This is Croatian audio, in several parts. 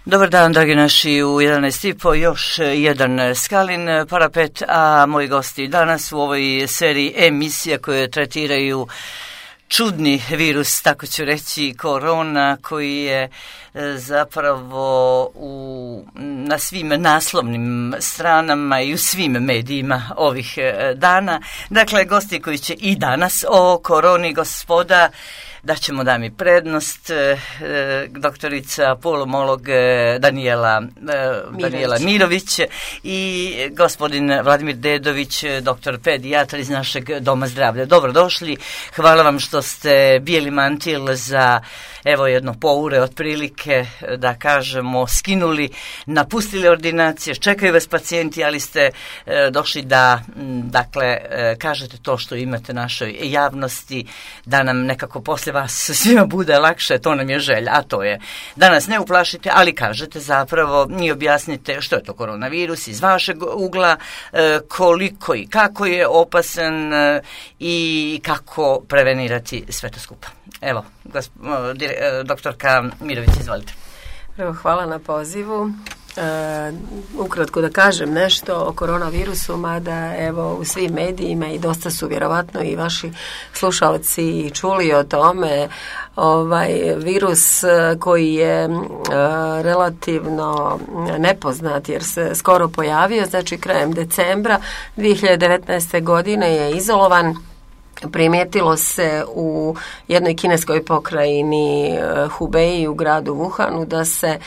Dobar dan, dragi naši, u 11.30 još jedan Skalin parapet, a moji gosti danas u ovoj seriji emisija koje tretiraju čudni virus, tako ću reći, korona, koji je zapravo na svim naslovnim stranama i u svim medijima ovih dana. Dakle, gosti koji će i danas o koroni, gospoda, da ćemo dami prednost, doktorica pulmolog Danijela Mirović i gospodin Vladimir Dedović, doktor pedijatar iz našeg doma zdravlja. Dobrodošli, hvala vam što ste bijeli mantil za evo jedno poure otprilike, da kažemo, skinuli, napustili ordinacije, čekaju vas pacijenti, ali ste došli da, dakle, kažete to što imate našoj javnosti, da nam nekako posle vas svima bude lakše, to nam je želja, a to je da nas ne uplašite, ali kažete zapravo i objasnite što je to koronavirus iz vašeg ugla, koliko i kako je opasan i kako prevenirati sve to skupa. Evo, doktorka Mirović, izvolite. Prvo, hvala na pozivu. Ukratko da kažem nešto o koronavirusu, mada evo u svim medijima i dosta su vjerovatno i vaši slušalci čuli o tome. Virus koji je relativno nepoznat jer se skoro pojavio, znači krajem decembra 2019. godine je izolovan. Primijetilo se u jednoj kineskoj pokrajini Hubei u gradu Wuhanu da se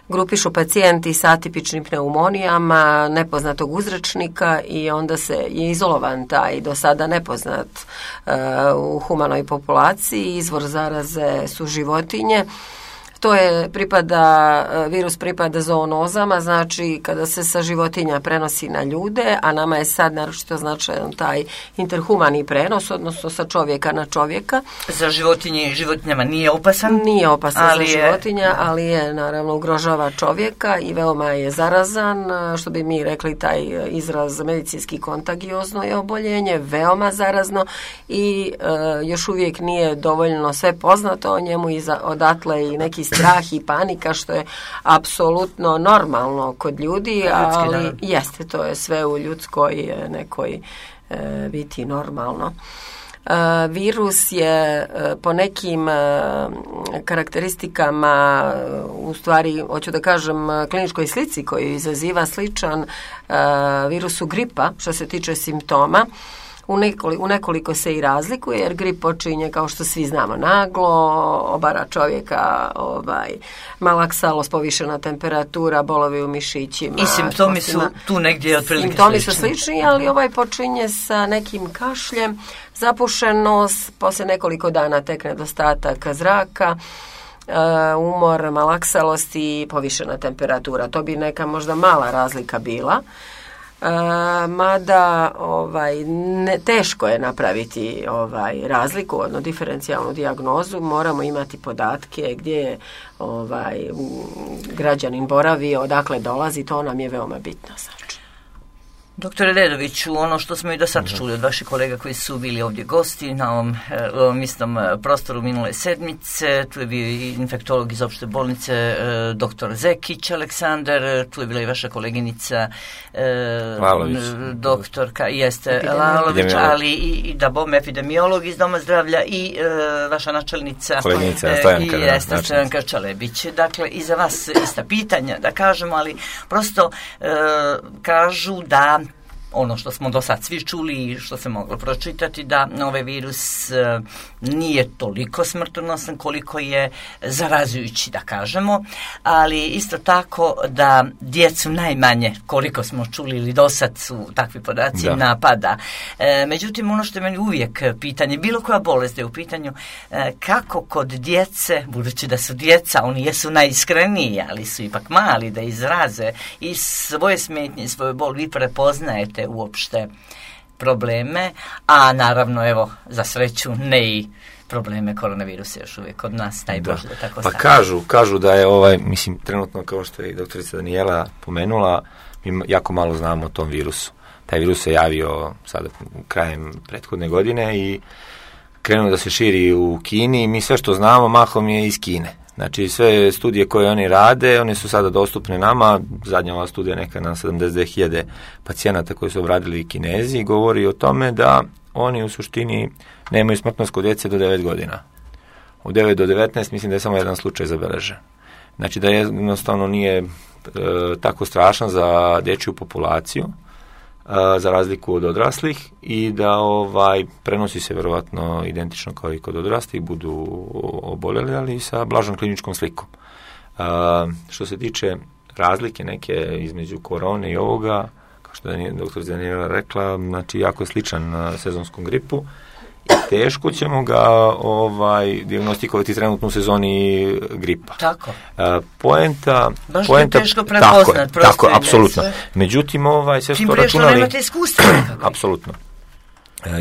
grupišu pacijenti sa atipičnim pneumonijama nepoznatog uzročnika i onda je izolovan taj do sada nepoznat u humanoj populaciji. Izvor zaraze su životinje. Virus pripada zoonozama, znači kada se sa životinja prenosi na ljude, a nama je sad naročito značajan taj interhumani prenos, odnosno sa čovjeka na čovjeka. Za životinjama nije opasan? Nije opasan za životinja, ali je naravno ugrožava čovjeka i veoma je zarazan, što bi mi rekli taj izraz medicinski kontagiozno je oboljenje, veoma zarazno i još uvijek nije dovoljno sve poznato o njemu i odatle i neki strah i panika, što je apsolutno normalno kod ljudi, ali jeste, to je sve u ljudskoj nekoj biti normalno. Virus je po nekim karakteristikama, u stvari, hoću da kažem, kliničkoj slici koju izaziva sličan virusu gripa, što se tiče simptoma. U nekoliko se i razlikuje, jer grip počinje, kao što svi znamo, naglo, obara čovjeka, malaksalost, povišena temperatura, bolovi u mišićima. I simptomi su tu negdje otprilike slični. Simptomi su slični, ali počinje sa nekim kašljem, zapušenost, poslije nekoliko dana tek nedostatak zraka, umor, malaksalost i povišena temperatura. To bi neka možda mala razlika bila. Mada teško je napraviti razliku, odnosno diferencijalnu dijagnozu, moramo imati podatke gdje je građanin boravio, odakle dolazi, to nam je veoma bitno. Doktore Dedoviću, ono što smo i do sad čuli od vaših kolega koji su bili ovdje gosti na ovom istom prostoru minule sedmice, tu je bio i infektolog iz opšte bolnice doktor Zekić Aleksandar, tu je bila i vaša koleginica doktorka Lalović, ali i da bom epidemiolog iz doma zdravlja i vaša načelnica Stojanka Čalebić. Dakle, i za vas ista pitanja, da kažemo, ali prosto kažu da ono što smo do sad svi čuli i što se moglo pročitati, da ovaj virus nije toliko smrtonosan koliko je zarazujući, da kažemo, ali isto tako da djecu najmanje, koliko smo čuli ili do sad su takvi podaci, napada. Međutim, ono što je meni uvijek pitanje, bilo koja bolest je u pitanju, kako kod djece, budući da su djeca, oni jesu najiskreniji, ali su ipak mali da izraze i svoje smetnje, svoju bol, vi prepoznajete uopšte probleme, a naravno, evo, za sreću, ne i probleme koronavirusa još uvijek kod nas, taj Bože da tako stane. Pa kažu da je trenutno, kao što je i doktorica Danijela pomenula, mi jako malo znamo o tom virusu. Taj virus se javio sada krajem prethodne godine i krenuo da se širi u Kini i mi sve što znamo mahom je iz Kine. Znači, sve studije koje oni rade, one su sada dostupne nama. Zadnja ova studija neka na 72.000 pacijenata koji su obradili Kinezi govori o tome da oni u suštini nemaju smrtnost kod djece do 9 godina. U 9 do 19 mislim da je samo jedan slučaj zabeležen. Znači da jednostavno nije tako strašan za dječju populaciju, za razliku od odraslih, i da prenosi se vjerovatno identično kao i kod odraslih, budu oboljeli, ali sa blažom kliničkom slikom. Što se tiče razlike neke između korone i ovoga, kao što je dr. Daniela rekla, znači jako je sličan sezonskom gripu i teško ćemo ga dijagnostikovati trenutno u sezoni gripa. Tako. Poenta teško prepoznat. Tako, apsolutno. Međutim, sve što računali... nemate iskustva. Apsolutno.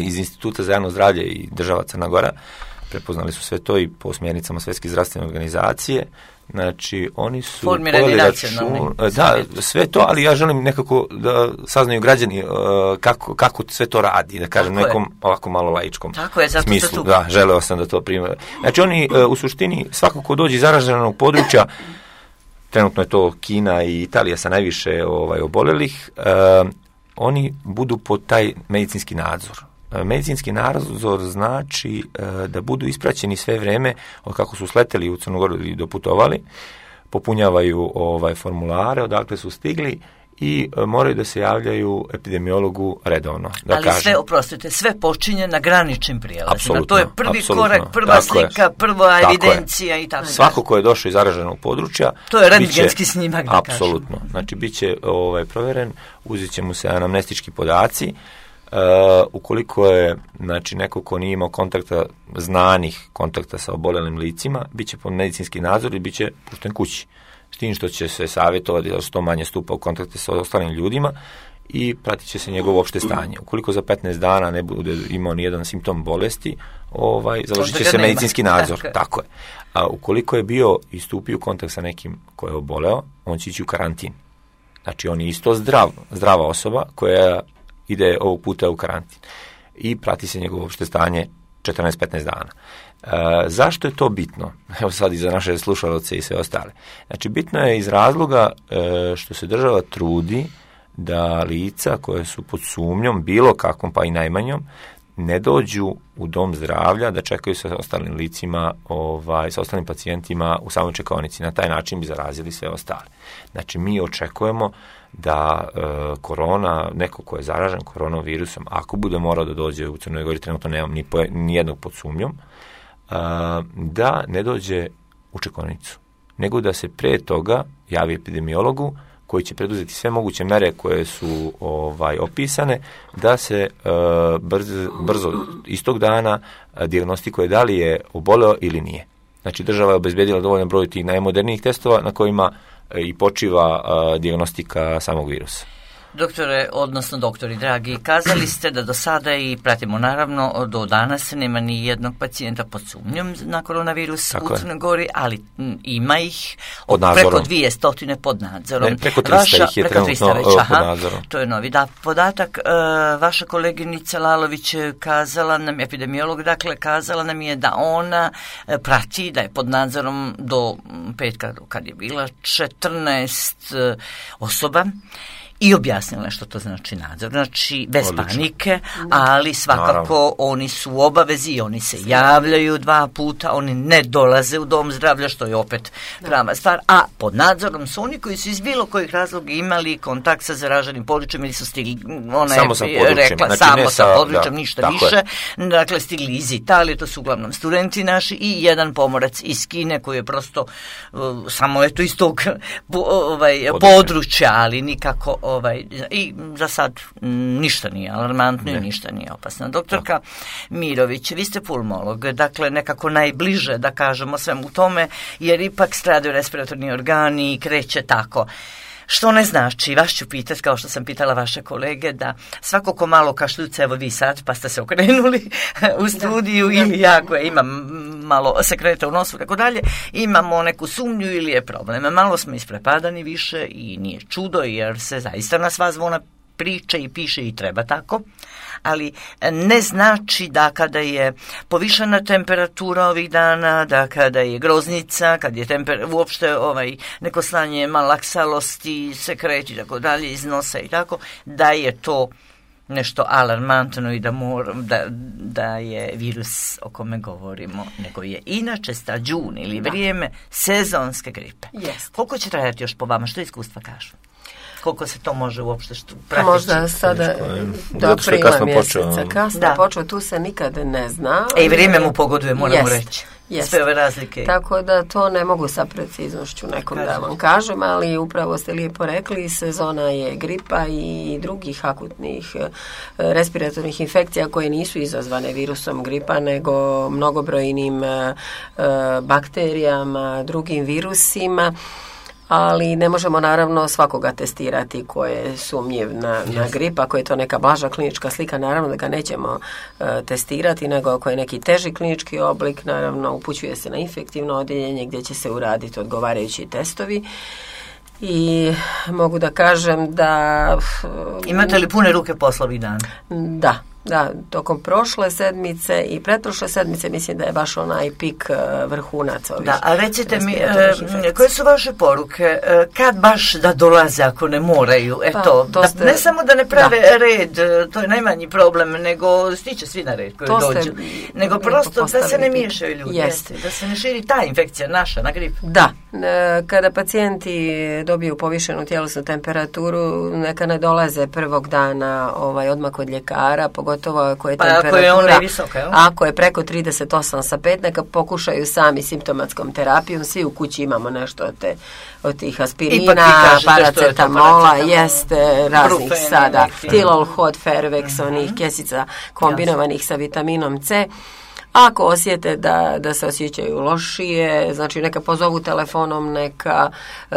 Iz Instituta za javno zdravlje i država Crna Gora prepoznali su sve to i po smjernicama Svjetske zdravstvene organizacije. Znači, oni su... Formirani nacionalni. Da, sve to, ali ja želim nekako da saznaju građani kako sve to radi, da kažem, nekom ovako malo laičkom smislu. Da, želeo sam da to primjer. Znači, oni u suštini, svako ko dođe iz zaraženog područja, trenutno je to Kina i Italija sa najviše oboljelih, oni budu pod taj medicinski nadzor. Medicinski nadzor znači da budu ispraćeni sve vreme od kako su sleteli u Crnu Goru i doputovali, popunjavaju formulare odakle su stigli i moraju da se javljaju epidemiologu redovno. Sve počinje na graničnim prijelazima. To je prvi korak, prva slika, prva evidencija i tako. Svako ko je došao iz zaraženog područja, to je rentgenski snimak, da kažem. Apsolutno. Znači, bit će provjeren, uzet će mu se anamnestički podaci. Ukoliko je neko ko nije imao kontakta sa oboljelim licima, bit će pod medicinski nadzor i bit će pušten kući. S tim što će se savjetovati da što manje stupa u kontakte sa ostalim ljudima i pratit će se njegovo opšte stanje. Ukoliko za 15 dana ne bude imao nijedan simptom bolesti, završit će se medicinski nadzor. Tako je. A ukoliko je bio i stupio u kontakt sa nekim ko je oboleo, on će ići u karantin. Znači, on je isto zdrava osoba koja ide ovog puta u karantin i prati se njegovo opšte stanje 14-15 dana. Zašto je to bitno? Evo sad i za naše slušalce i sve ostale. Znači, bitno je iz razloga što se država trudi da lica koje su pod sumnjom, bilo kakvom pa i najmanjom, ne dođu u dom zdravlja da čekaju sa ostalim licima, sa ostalim pacijentima u samoj čekaonici. Na taj način bi zarazili sve ostale. Znači, mi očekujemo da neko ko je zaražen koronavirusom, ako bude morao da dođe u Crnoj Gori, trenutno nemam ni jednog pod sumnjom, da ne dođe u čekaonicu, nego da se pre toga javi epidemiologu koji će preduzeti sve moguće mere koje su opisane, da se brzo istog dana dijagnostikuje da li je oboleo ili nije. Znači, država je obezbedila dovoljan broj tih najmodernijih testova na kojima i počiva dijagnostika samog virusa. Doktore, odnosno doktori dragi, kazali ste da do sada i pratimo naravno do danas nema ni jednog pacijenta pod sumnjom na koronavirus u Crnoj Gori, ali ima ih preko 200 pod nadzorom. Preko 300 ih je trenutno pod nadzorom. To je novi podatak. Vaša koleginica Lalović kazala nam, epidemiolog, dakle, kazala nam je da ona prati, da je pod nadzorom do petka kad je bila 14 osoba. I objasnila što to znači nadzor. Znači, bez panike, ali svakako oni su u obavezi, oni se javljaju 2 puta, oni ne dolaze u dom zdravlja, što je opet prava stvar, a pod nadzorom su oni koji su iz bilo kojih razloga imali kontakt sa zaraženim područjem ili su stigli, ona je rekla, znači, samo sa područjem, ništa više. Dakle, stigli iz Italije, to su uglavnom studenti naši, i jedan pomorac iz Kine koji je prosto samo iz tog područja, ali nikako i za sad ništa nije alarmantno i ništa nije opasno. Doktorka Mirović, vi ste pulmolog, dakle nekako najbliže da kažemo svemu tome, jer ipak stradaju respiratorni organi i kreće tako. Što ne znači, vas ću pitati, kao što sam pitala vaše kolege, da svako ko malo kašljuca, evo vi sad, pa ste se okrenuli u studiju, ili ja koja imam malo sekreta u nosu, tako dalje, imamo neku sumnju ili je problem. Malo smo isprepadani više i nije čudo, jer se zaista na sva zvona priče i piše i treba tako, ali ne znači da kada je povišena temperatura ovih dana, da kada je groznica, kad je uopšte neko slanje malaksalosti, sekreti i tako dalje iz nosa i tako, da je to nešto alarmantno i da je virus o kome govorimo, nego je inače stađun ili vrijeme sezonske gripe. Jest. Koliko će trajati još po vama? Što iskustva kažu? Koliko se to može uopšte pratiti? Možda sada do aprila mjeseca. Kasno počeo, tu se nikad ne zna. I vrijeme mu pogoduje, moramo reći. Sve ove razlike. Tako da to ne mogu sa preciznošću nekom da vam kažem, ali upravo ste lijepo rekli, sezona je gripa i drugih akutnih respiratornih infekcija koje nisu izazvane virusom gripa, nego mnogobrojnim bakterijama, drugim virusima. Ali ne možemo naravno svakoga testirati ko je sumnjiv na grip. Ako je to neka blaža klinička slika, naravno da ga nećemo testirati, nego ako je neki teži klinički oblik, naravno upućuje se na infektivno odjeljenje gdje će se uraditi odgovarajući testovi. I mogu da kažem da... Imate li pune ruke posla ovih dana? Da, tokom prošle sedmice i pretprošle sedmice mislim da je baš onaj pik vrhunac ovih. Da, a recite mi, koje su vaše poruke? Kad baš da dolaze ako ne moraju? Ne samo da ne prave red, to je najmanji problem, nego stiće svi na red koji dođu. Nego prosto da se ne miješaju ljudi. Da se ne širi ta infekcija naša na grip. Da, kada pacijenti dobiju povišenu tjelesnu temperaturu, neka ne dolaze prvog dana odmah kod ljekara, pogotovo ako je temperatura, ako je preko 38,5, neka pokušaju sami simptomatskom terapijom. Svi u kući imamo nešto od tih aspirina, paracetamola, jeste raznih sada, Tilol, Hot, Fervex, onih kesica kombinovanih sa vitaminom C. Ako osjete da se osjećaju lošije, znači neka pozovu telefonom, neka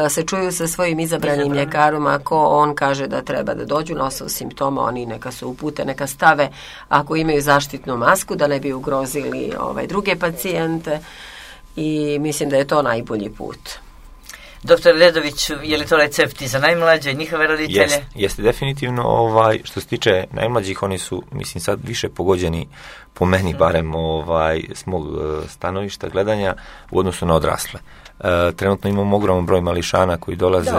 se čuju sa svojim izabranim ljekarom, ako on kaže da treba da dođu na osnovu simptoma, oni neka se upute, neka stave ako imaju zaštitnu masku da ne bi ugrozili druge pacijente i mislim da je to najbolji put. Doktor Ledović, je li to recepti za najmlađe, njihove roditelje? Jeste definitivno. Što se tiče najmlađih, oni su, mislim, sad više pogođeni, po meni barem, s mog stanovišta gledanja u odnosu na odrasle. Trenutno imamo ogroman broj mališana koji dolaze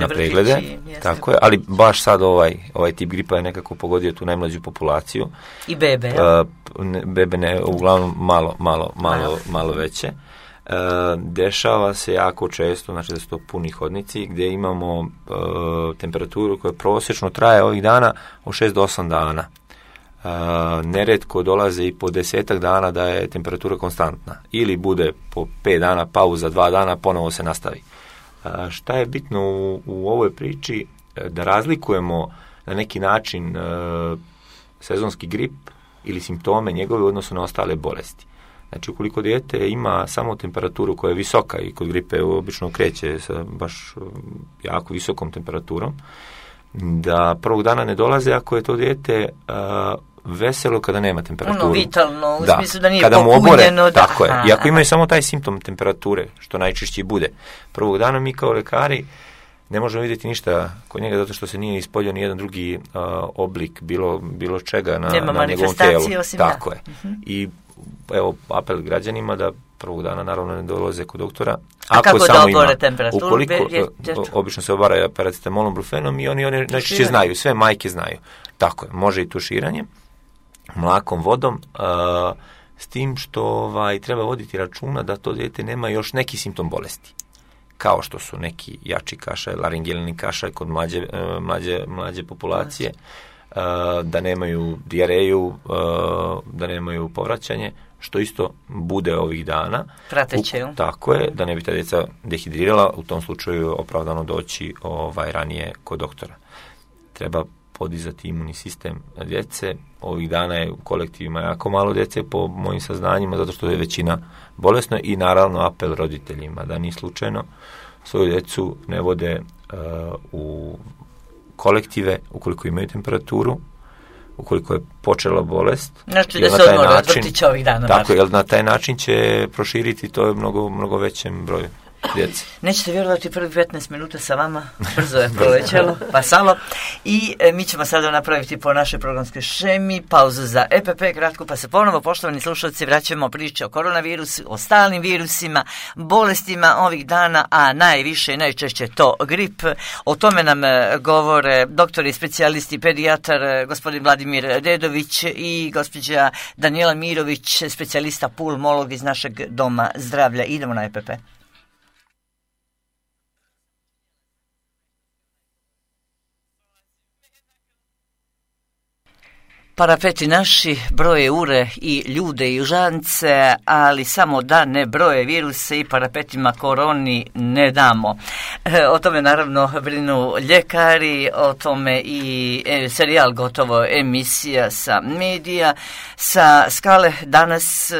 na preglede, tako je, ali baš sad ovaj tip gripa je nekako pogodio tu najmlađu populaciju. I bebe, bebe ne, uglavnom malo veće. Dešava se jako često, znači da su to puni hodnici, gdje imamo temperaturu koja prosječno traje ovih dana od 6 do 8 dana. Neretko dolaze i po 10 dana da je temperatura konstantna. Ili bude po 5 dana pauza, 2 dana, ponovo se nastavi. Šta je bitno u ovoj priči? Da razlikujemo na neki način sezonski grip ili simptome njegove u odnosu na ostale bolesti. Znači, ukoliko dijete ima samo temperaturu koja je visoka i kod gripe obično kreće sa baš jako visokom temperaturom, da prvog dana ne dolaze ako je to dijete veselo kada nema temperaturu. Vitalno, u smislu da nije popunjeno. Kada mu obore, tako je. I ako imaju samo taj simptom temperature, što najčešće bude, prvog dana mi kao lekari ne možemo vidjeti ništa kod njega zato što se nije ispoljio ni jedan drugi oblik bilo čega na njegovom tijelu. Tako je. I evo apel građanima da prvog dana naravno ne dolaze kod doktora. A kako da obore temperaturu? Ukoliko, obično se obara paracetamolom, brufenom i oni najčešće znaju, sve majke znaju. Tako je, može i tuširanje mlakom vodom, s tim što treba voditi računa da to dijete nema još neki simptom bolesti. Kao što su neki jači kašalj, laringelni kašalj kod mlađe populacije, da nemaju dijareju, da nemaju povraćanje, što isto bude ovih dana. Prateće. Tako je, da ne bi ta djeca dehidrirala, u tom slučaju opravdano doći ranije kod doktora. Treba podizati imunni sistem djece. Ovih dana je u kolektivima jako malo djece po mojim saznanjima, zato što je većina bolesna i naravno apel roditeljima da ni slučajno svoju djecu ne vode u kolektive ukoliko imaju temperaturu, ukoliko je počela bolest. Znači da se odmore od vrtića ovih dana. Tako, jer na taj način će proširiti to mnogo većem broju. djece. Nećete vjerovati, prvi 15 minuta sa vama, brzo je prolećelo, pa samo. I mi ćemo sada napraviti po našoj programskoj šemi pauzu za EPP kratko, pa se ponovo, poštovani slušalci, vraćamo priče o koronavirusu, o stalnim virusima, bolestima ovih dana, a najviše i najčešće to grip. O tome nam govore doktori, specijalisti, pedijatar, gospodin Vladimir Dedović i gospođa Danijela Mirović, specijalista pulmolog iz našeg doma zdravlja. Idemo na EPP. Parapeti naši broje ure i ljude i užance, ali samo da ne broje viruse i parapetima koroni ne damo. O tome naravno brinu ljekari, o tome i serijal gotovo emisija sa medija, sa skale danas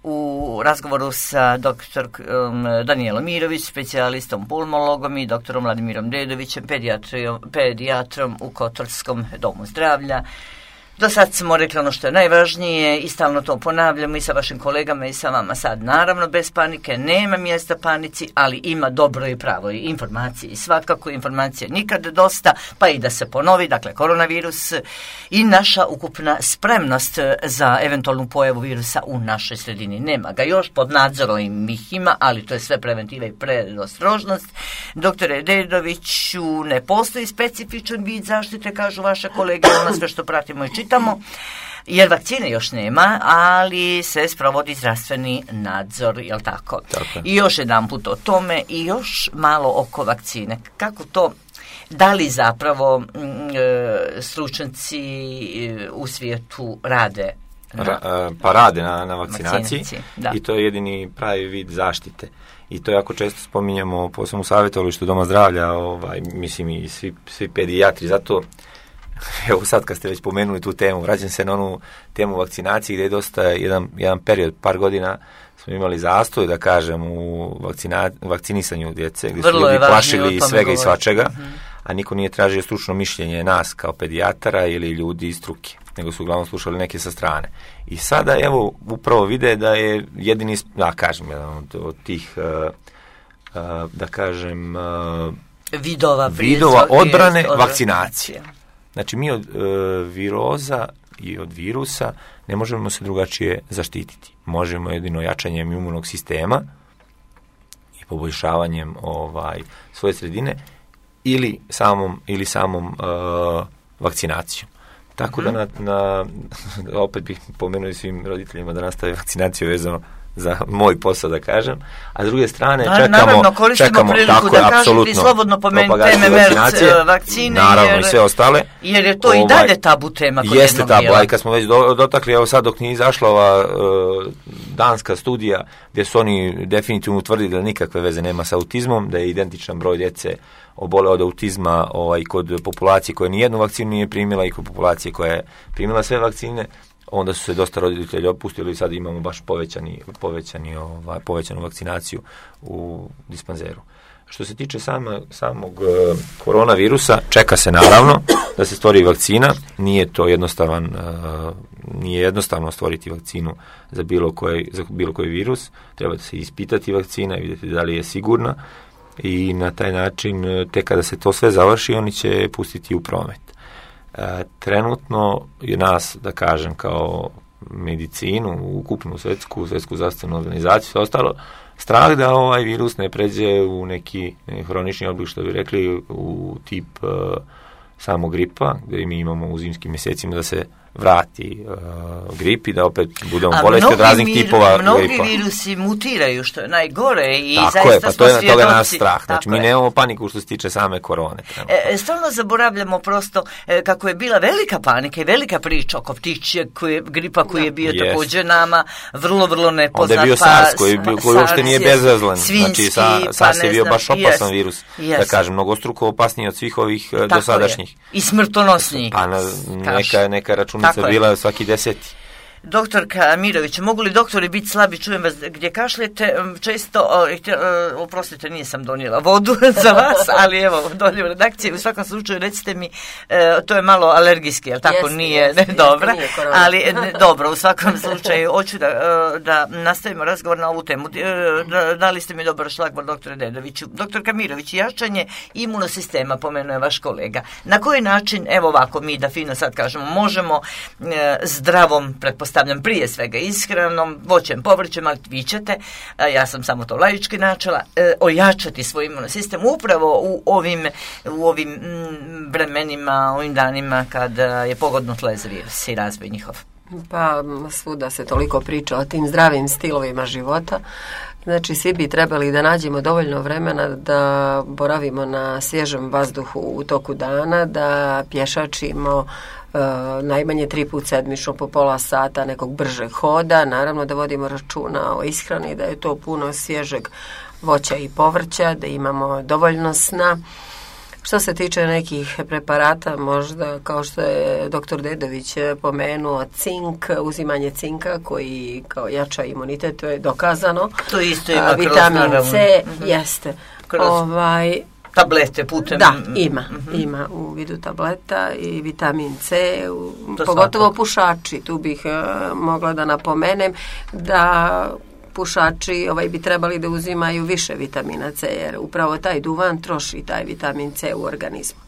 u razgovoru sa doktorom Danijelom Mirović, specijalistom pulmologom i doktorom Vladimirom Dedovićem, pedijatrom u Kotorskom domu zdravlja. Do sad smo rekli ono što je najvažnije i stalno to ponavljamo i sa vašim kolegama i sa vama sad. Naravno, bez panike, nema mjesta panici, ali ima dobro i pravo i informacije. I svakako informacije nikad dosta, pa i da se ponovi, dakle, koronavirus i naša ukupna spremnost za eventualnu pojavu virusa u našoj sredini. Nema ga još, pod nadzorom ih ima, ali to je sve preventiva i predostrožnost. Doktore Dedoviću, ne postoji specifičan vid zaštite, kažu vaše kolege, ono sve što pratimo i čitamo, jer vakcine još nema, ali se sprovodi zdravstveni nadzor, jel tako? Tako. I još jedan put o tome i još malo oko vakcine. Kako to, da li zapravo stručnjaci u svijetu rade? Pa rade na vakcinaciji da. I to je jedini pravi vid zaštite. I to jako često spominjamo posebno u savjetovalištu Doma zdravlja, mislim i svi pedijatri, zato evo sad kad ste već pomenuli tu temu, vraćam se na onu temu vakcinacije gdje je dosta jedan period, par godina smo imali zastoj, da kažem, u vakcinisanju djece, gdje su ljudi plašili svega i svačega, a niko nije tražio stručno mišljenje nas kao pedijatara ili ljudi iz struke, nego su uglavnom slušali neke sa strane. I sada, evo, upravo vide da je jedini, da kažem, jedan od tih, da kažem, vidova odbrane vakcinacije. Znači, mi od viroza i od virusa ne možemo se drugačije zaštititi. Možemo jedino jačanjem imunog sistema i poboljšavanjem svoje sredine ili samom vakcinacijom. Tako da opet bih pomenuo svim roditeljima da nastave vakcinaciju vezano za moj posao, da kažem, a s druge strane naravno, koristimo priliku da kažete slobodno pomenite MMR vakcine, naravno, i sve ostale, jer je to i dalje tabu tema kod jeste jednog tabu, a i kad smo već dotakli, evo sad dok nije izašla ova danska studija gdje su oni definitivno utvrdili da nikakve veze nema sa autizmom, da je identičan broj djece obole od autizma kod populacije koja nijednu vakcinu nije primila i kod populacije koja je primila sve vakcine, onda su se dosta roditelji opustili i sad imamo baš povećanu vakcinaciju u dispanzeru. Što se tiče samog koronavirusa, čeka se naravno da se stvori vakcina, nije jednostavno stvoriti vakcinu za bilo koji virus, treba se ispitati vakcina i vidjeti da li je sigurna i na taj način, tek kada se to sve završi, oni će pustiti u promet. Trenutno je nas, da kažem, kao medicinu, ukupnu svjetsku zdravstvenu organizaciju, sve ostalo, strah da ovaj virus ne pređe u neki hronični oblik, što bi rekli, u tip samog gripa, gdje mi imamo u zimskim mjesecima da se vrati grip i da opet budemo bolesti od raznih tipova mnogi gripa. Mnogi virusi mutiraju, što je najgore i tako zaista je, pa smo svjedoci. Toga je nas strah. Znači, mi nemamo paniku što se tiče same korone. Stalno zaboravljamo prosto kako je bila velika panika i velika priča oko ptičjeg gripa koji je bio također nama vrlo nepoznat. Onda je bio SARS koji uopšte nije bezazlen. Znači, SARS je bio baš opasan virus. Da kažem, mnogostruko opasniji od svih ovih dosadašnjih. I smrtonosniji. Pa neka računica bila svaki 10. Doktorka Mirović, mogu li doktori biti slabi? Čujem vas gdje kašljete. Često, oprostite, nisam donijela vodu za vas, ali evo, dolje u redakciji. U svakom slučaju, recite mi, to je malo alergijski, jel tako? Nije dobra, ali dobro, u svakom slučaju, hoću da nastavimo razgovor na ovu temu. Dali ste mi dobar šlagvor, doktore Dedoviću. Doktorka Mirović, jačanje imunosistema, pomenuo je vaš kolega. Na koji način, evo ovako, mi da fino sad kažemo, možemo zdravom, pretpostavljam prije svega ishranom, voćem, povrćem, ali vi ćete, ja sam samo to laički načela, ojačati svoj imunosistem upravo u ovim vremenima, ovim danima kada je pogodno tle za virus i razvoj njihov. Pa svuda se toliko priča o tim zdravim stilovima života. Znači, svi bi trebali da nađemo dovoljno vremena da boravimo na svježem vazduhu u toku dana, da pješačimo najmanje 3 puta sedmično po pola sata nekog bržeg hoda, naravno da vodimo računa o ishrani, da je to puno svježeg voća i povrća, da imamo dovoljno sna. Što se tiče nekih preparata, možda kao što je doktor Dedović pomenuo, cink, uzimanje cinka koji kao jača imunitet, to je dokazano. To isto ima vitamin C, jeste. Tablete putem... Da, ima u vidu tableta i vitamin C, pogotovo pušači. Tu bih mogla da napomenem da pušači bi trebali da uzimaju više vitamina C, jer upravo taj duvan troši taj vitamin C u organizmu.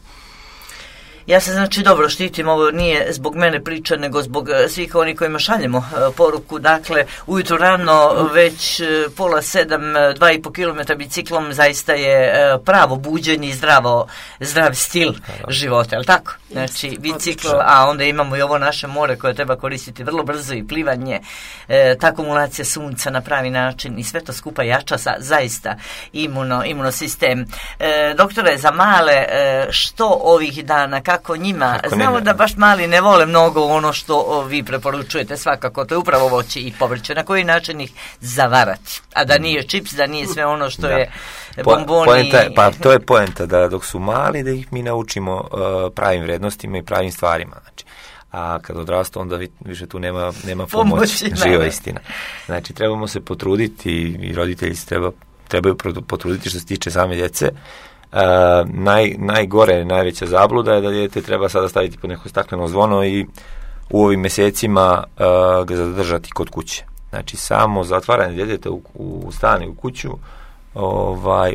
Ja se znači dobro štitim, ovo nije zbog mene priča, nego zbog svih onih kojima šaljemo poruku. Dakle, ujutro rano već 6:30, 2,5 km biciklom zaista je pravo buđenje i zdrav stil života, je li tako? Znači, bicikl, a onda imamo i ovo naše more koje treba koristiti vrlo brzo i plivanje, ta akumulacija sunca na pravi način i sve to skupa jača zaista imunosistem. Doktore, za male, što ovih dana, kako njima, znamo da baš mali ne vole mnogo ono što vi preporučujete, svakako, to je upravo voće i povrće, na koji način ih zavarati, a da nije čips, da nije sve ono što je bomboni. Pa to je poenta, da dok su mali da ih mi naučimo pravim vrednostima i pravim stvarima, znači. A kad odrastu, onda više tu nema pomoći, živa istina. Znači, trebamo se potruditi i roditelji se trebaju potruditi što se tiče same djece. Najveća zabluda je da dijete treba sada staviti pod neko stakleno zvono i u ovim mjesecima ga zadržati kod kuće. Znači, samo zatvaranje djeteta u stan i u kuću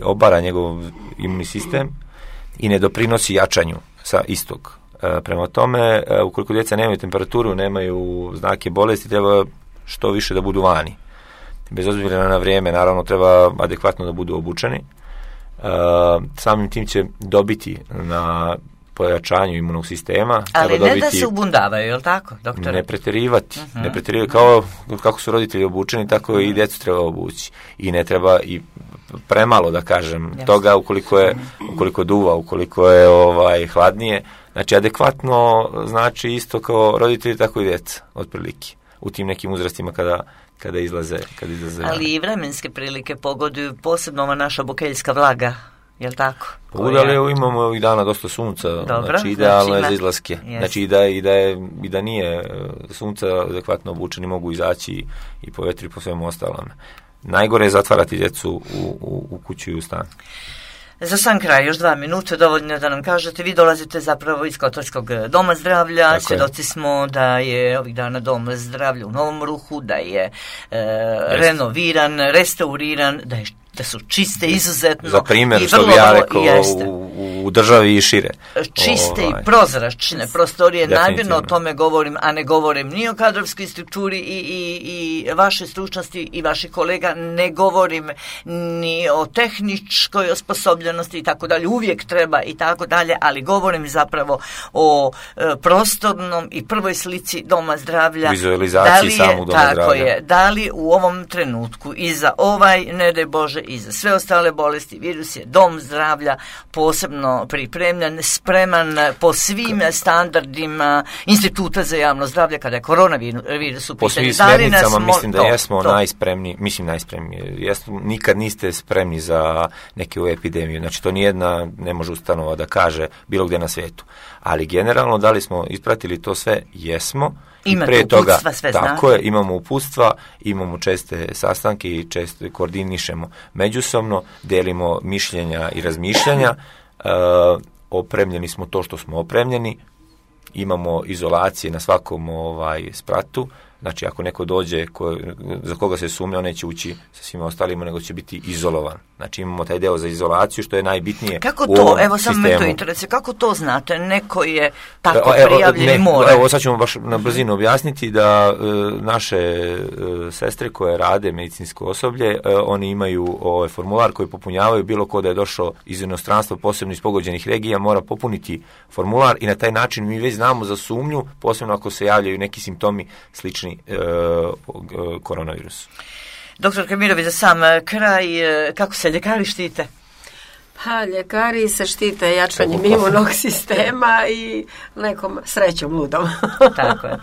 obara njegov imunni sistem i ne doprinosi jačanju sa istog. Prema tome, ukoliko djeca nemaju temperaturu, nemaju znake bolesti, treba što više da budu vani. Bez obzira na vrijeme, naravno, treba adekvatno da budu obučeni. Samim tim će dobiti na pojačanju imunog sistema. Ali ne da se ubundavaju, je li tako, doktore? Ne pretjerivati. Ne pretjerivati. Kao kako su roditelji obučeni, tako i djecu treba obući. I ne treba i premalo, da kažem, toga ukoliko duva, ukoliko je hladnije. Znači, adekvatno znači isto kao roditelji, tako i djeca, otprilike. U tim nekim uzrastima kada izlaze. Ali i vremenske prilike pogoduju, posebno ova naša bokeljska vlaga, je li tako? Ali imamo ovih dana dosta sunca, znači idealno je za izlaske. Znači i da nije sunca adekvatno obučeni, mogu izaći i po vetru i po svemu ostalom. Najgore je zatvarati djecu u kuću i u stan. Za sam kraj, još 2 minute, dovoljno da nam kažete, vi dolazite zapravo iz Kotarskog doma zdravlja, svjedoci smo da je ovih dana dom zdravlja u Novom Ruhu, da je renoviran, restauriran, da su čiste izuzetno. Za primjer, što bi ja rekao, u državi i šire. Čiste i prozračne prostorije, namjerno o tome govorim, a ne govorim ni o kadrovskoj strukturi i vaše stručnosti i vaših kolega, ne govorim ni o tehničkoj osposobljenosti i tako dalje, uvijek treba i tako dalje, ali govorim zapravo o prostornom i prvoj slici doma zdravlja. Vizualizaciji samog doma zdravlja. Tako je, da li u ovom trenutku i za ne daj Bože, i za sve ostale bolesti, virus je dom zdravlja posebno pripremljen, spreman po svim standardima Instituta za javno zdravlje kada je koronavirus u pitanju. Po svim smjernicama mislim da jesmo najspremniji. Nikad niste spremni za neke epidemiju. Znači, to nijedna ne može ustanova da kaže bilo gdje na svijetu. Ali generalno, da li smo ispratili to sve? Jesmo. Imate uputstva, sve znate. Tako je, imamo uputstva, imamo česte sastanke i često koordinišemo međusobno, delimo mišljenja i razmišljanja, opremljeni smo to što smo opremljeni, imamo izolacije na svakom spratu, znači ako neko dođe za koga se sumnja, on neće ući sa svima ostalima, nego će biti izolovan. Znači imamo taj deo za izolaciju, što je najbitnije kako u ovom evo sistemu. Samo me to interesuje, kako to znate, neko je tako prijavljen i mora? Evo sad ćemo baš na brzinu objasniti da naše sestre koje rade medicinsko osoblje, oni imaju formular koji popunjavaju, bilo ko da je došao iz inostranstva, posebno iz pogođenih regija, mora popuniti formular i na taj način mi već znamo za sumnju, posebno ako se javljaju neki simptomi slični koronavirusu. Doktor Kemirović, za sam kraj, kako se ljekari štite? Pa, ljekari se štite jačanjem imunog sistema i nekom srećom ludom. Tako je.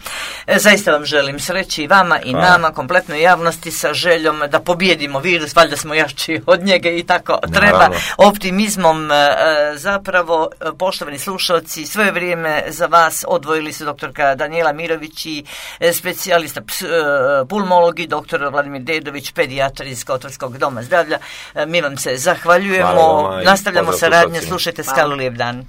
Zaista vam želim sreći i vama i nama, kompletnoj javnosti, sa željom da pobijedimo virus, valjda smo jači od njega i tako treba. Optimizmom zapravo, poštovani slušalci, svoje vrijeme za vas odvojili su doktorka Danijela Mirović i specijalista pulmolog i doktor Vladimir Dedović, pedijatar iz Kotorskog doma zdravlja. Mi vam se zahvaljujemo. Nastavljamo saradnje, slušajte Skalu, lijep dan.